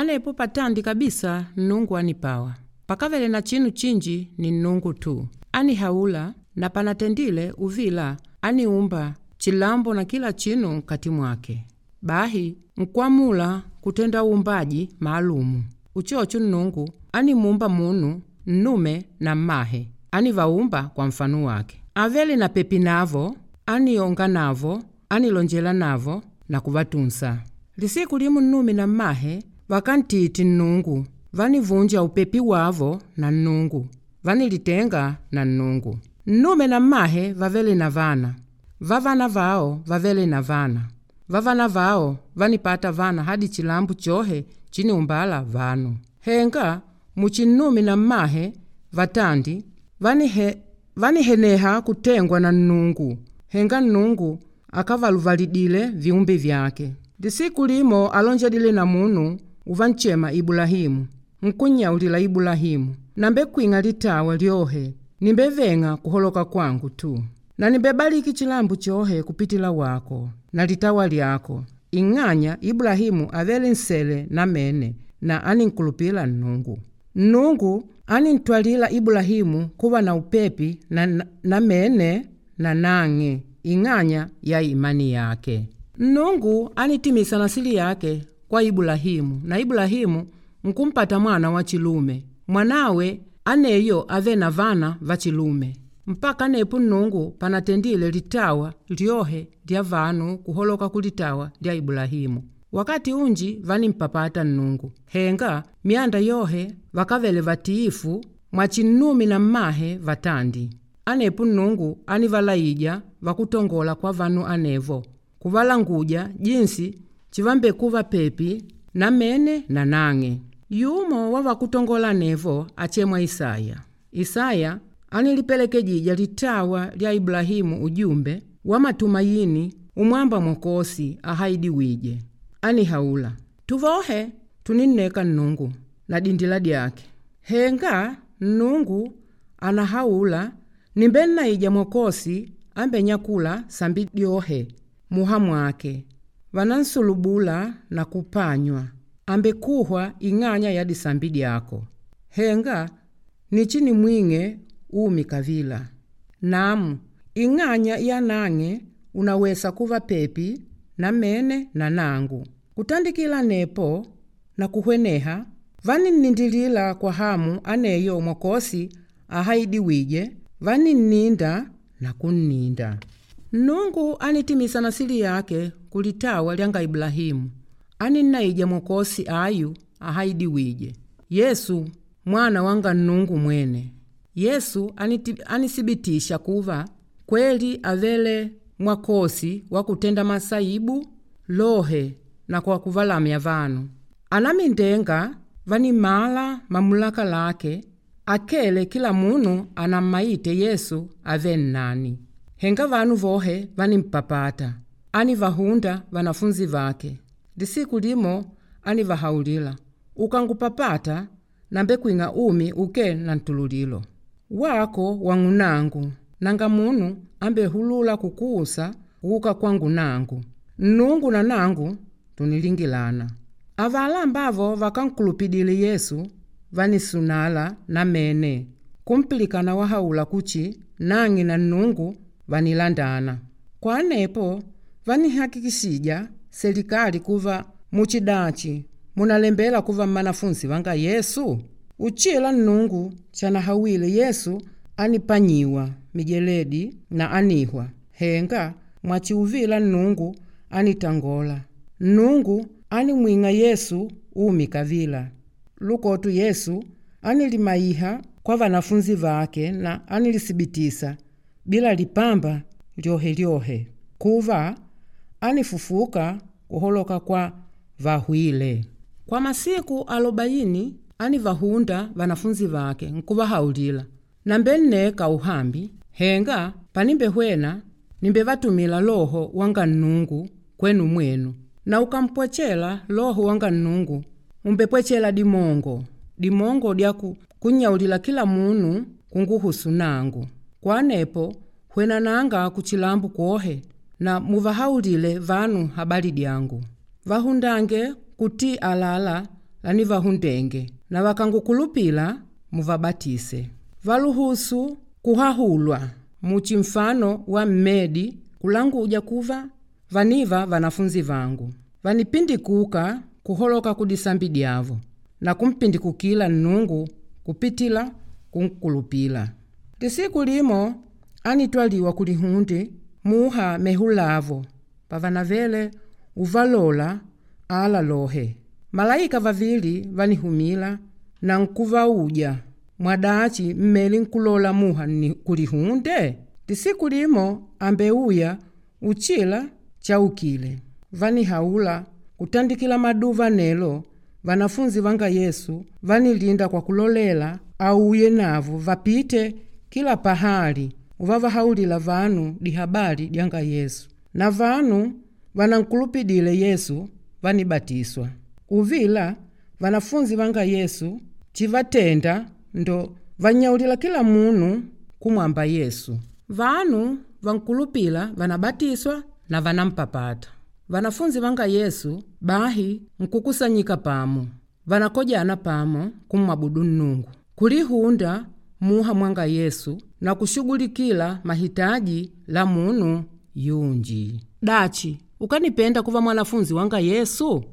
Anepo patandi kabisa Nnungu anipawa. Pakavele na chinu chinji ni Nnungu tu. Anihaula na panatendile uvila aniumba chilambo na kila chinu nkati mwake. Bahi nkwamula kutenda uumbaji maalumu. Uchocho Nnungu animumba munu nnume na mmahe, anivaumba kwa mfano wake. Avele na pepi navo, anionga navo, anilonjela navo na kuvatunsa. Lisiku limu nnume na mmahe vakantiti Nnungu, vanivunja upepi wavo na Nnungu, vanilitenga na Nnungu. Nnume na mmahe vavele na vana, vavana vao vavele na vana, vavana vao vanipata vana hadi chilambo chohe chiniumbala vanu. Henga muchinnume na mmahe vatandi vaniheneha kutengwa na Nnungu. Henga Nnungu akavaluvalidile viumbe vyake. Lisiku limo alonjedile na munu uvanchema Ibulahimu. Nkunyaulila Ibulahimu, nambe kwing'a litawa lyohe, nimbeveng'a kuholoka kwangu tu. Na nimbebaliki chilambo chohe kupitila wako na litawa lyako. Ing'anya Ibulahimu avele nsele namene na aninkulupila Nnungu. Nnungu anintwalila Ibulahimu kuva na upepi namene na nang'e ing'anya ya imani yake. Nnungu anitimisa nasili yake kwa Ibulahimu na Ibulahimu nkumpata mwana wa chilume. Mwanawe aneyo ave na vana va chilume. Mpaka nepo Nnungu panatendile litawa lyohe lya vanu kuholoka kulitawa lya Ibulahimu. Wakati unji vanimpapata Nnungu. Henga myanda yohe vakavele vatiifu mwachinnume na mmahe vatandi. Anepo Nnungu anivalaija vakutongola kwa vanu anevo, kuvalanguja jinsi chivambekuva pepi namene na nang'e. Yumo wa vakutongola anevo achemwa Isaya. Isaya anilipelekejija litawa lya Ibulahimu ujumbe wa matumayini umwamba Mwokosi ahaidiwije. Anihaula, tuvohe tuninneka Nnungu na dindila dyake. Henga Nnungu anahaula nimbennaija Mwokosi ambenyakula sambi dyohe muha mwake. Vanansulubula na kupanywa, ambekuhwa ing'anya ya disambi dyako. Henga nichinimwing'e umi kavila. Namu ing'anya ya nang'e unawesa kuva pepi namene na nangu. Kutandikila nepo na kuhweneha vaninnindilila kwa hamu aneyo Mwokosi ahaidiwije, vaninninda na kunninda. Nnungu anitimisa nasili yake kulitawa lyanga Ibulahimu. Aninnaija Mwokosi ayu ahaidiwije, Yesu mwana wanga Nnungu mwene. Yesu anisibitisha kuva kweli avele mwakosi wa kutenda masaibu lohe na kwa kuvalamya vanu. Anamindenga vanimala mamulaka lake akele kila munu anammaite Yesu ave nnani. Henga vanu vohe vanimpapata. Anivahunda vanafunzi vake. Lisiku limo anivahaulila, ukangupapata nambe kwing'a umi uke na ntululilo. Wako wang'unangu nanga munu ambehulula kukuusa kuuka kwangu nangu. Nnungu na nangu tunilingilana. Avala ambavo vakankulupidile Yesu vanisunala namene kumpilikana wahaula kuchi nang'e na Nnungu vanilandana. Kwa anepo vanihakikishija selikali kuva muchidachi munalembela kuva mmanafunzi vanga Yesu. Uchila Nnungu chanahawile Yesu anipanyiwa mijeledi na anihwa. Henga mwachiuvila Nnungu anitangola. Nnungu animwing'a Yesu umi kavila. Lukotu Yesu anilimaiha kwa vanafunzi vake na anilisibitisa bila lipamba lyohe lyohe kuva anifufuka kuholoka kwa vahwile. Kwa masiku 40 anivahunda vanafunzi vake nkuvahaulila, nambe nneka uhambi, henga panimbehwena nimbevatumila Loho wanga Nnungu kwenu mwenu. Na ukampwechela Loho wanga Nnungu umbepwechela dimongo, dimongo dyaku kunyaulila kila munu kunguhusu nangu. Kwa nepo hwenananga kuchilambo kwohe na muvahaulile vanu habali dyangu. Vahundange kuti alala lanivahundenge na vakangukulupila muvabatise. Valuhusu kuhahulwa muchi mfano wa mmedi kulanguja kuva vaniva vanafunzi vangu. Vanipindikuka kuholoka kudisambi dyavo na kumpindikukila Nnungu kupitila kunkulupila. Lisiku limo anitwaliwa kulihunde muha mehulavo pavanavele uvalola ala lohe. Malaika vavili vanihumila na nkuvauja, mwadachi mmele nkulola muha kulihunde? Lisiku limo ambeuya uchila chaukile. Vanihaula kutandikila maduva nelo vanafunzi vanga Yesu vanilinda kwa kulolela auye navo vapite kila pahali uvavahaulila vanu dihabali dyanga Yesu. Na vanu vanankulupidile Yesu vanibatiswa. Uvila vanafunzi vanga Yesu chivatenda ndo vannyaulila kila munu kumwamba Yesu. Vanu vankulupila vanabatiswa na vanampapata. Vanafunzi vanga Yesu bahi nkukusanyika pamo, vanakojana pamo kummwabudu Nnungu, kulihunda muha mwanga Yesu na kushughulikila mahitaji la munu yunji. Dachi, ukanipenda kuva mwanafunzi wanga Yesu?